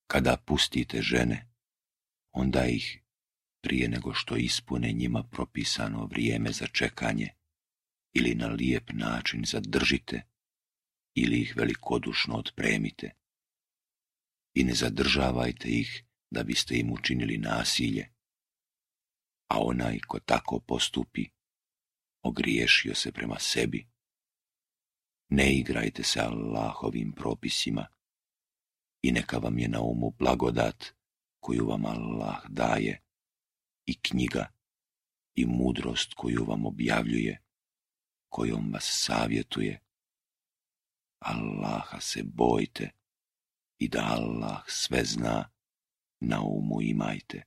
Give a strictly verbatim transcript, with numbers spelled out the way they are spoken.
Kada pustite žene, onda ih, prije nego što ispune njima propisano vrijeme za čekanje, ili na lijep način zadržite, ili ih velikodušno otpremite. I ne zadržavajte ih da biste im učinili nasilje, a onaj ko tako postupi, ogriješio se prema sebi. Ne igrajte se Allahovim propisima i neka vam je na umu blagodat koju vam Allah daje i knjiga i mudrost koju vam objavljuje, kojom vas savjetuje. Allaha se bojte i da Allah sve zna, na umu imajte.